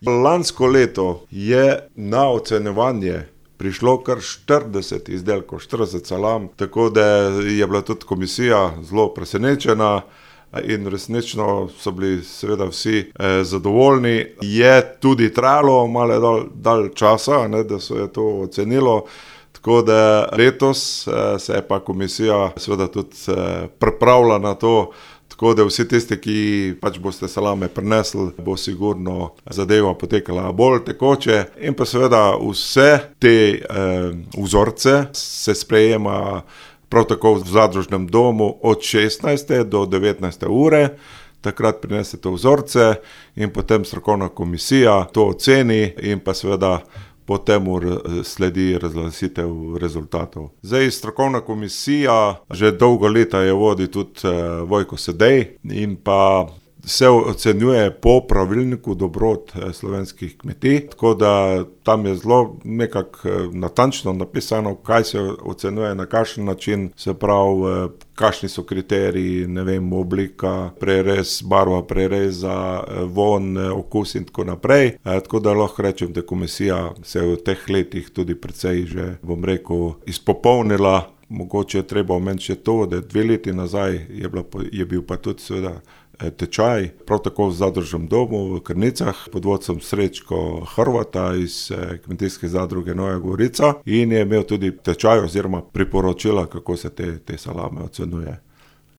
Lansko leto je na ocenjevanje prišlo kar 40 izdelkov, 40 salam, tako da je bila tudi komisija zelo presenečena in resnično so bili seveda vsi zadovoljni. Je tudi trajalo malo dalj časa, da se je to ocenilo, tako da letos se je pa komisija seveda tudi pripravila na to, tako da vsi tisti, ki pač boste salame prinesli, bo sigurno zadeva potekala bolj tekoče. In pa seveda vse te vzorce se sprejema prav tako v zadružnem domu od 16. do 19. ure. Takrat prinesete vzorce in potem strokovna komisija to oceni in pa seveda potem sledi razglasitev rezultatov. Zdaj, strokovna komisija že dolgo leta je vodi tudi Vojko Sedej in pa se ocenjuje po pravilniku dobrot slovenskih kmetij, tako da tam je zelo nekako natančno napisano, kaj se ocenjuje, na kakšen način, se pravi, kakšni so kriteriji, oblika prerez, barva prereza, vonj, okus in tako naprej. Tako da lahko rečem, da komisija se je v teh letih tudi precej že, izpopolnila. Mogoče je treba omeniti še to, da 2 leti nazaj je bil pa tudi seveda tečaj, prav tako v zadružnem domu v Krnicah pod vodstvom Srečko Hrvata iz kmetijske zadruge Nova Gorica in je imel tudi tečaj oziroma priporočila, kako se te salame ocenjuje.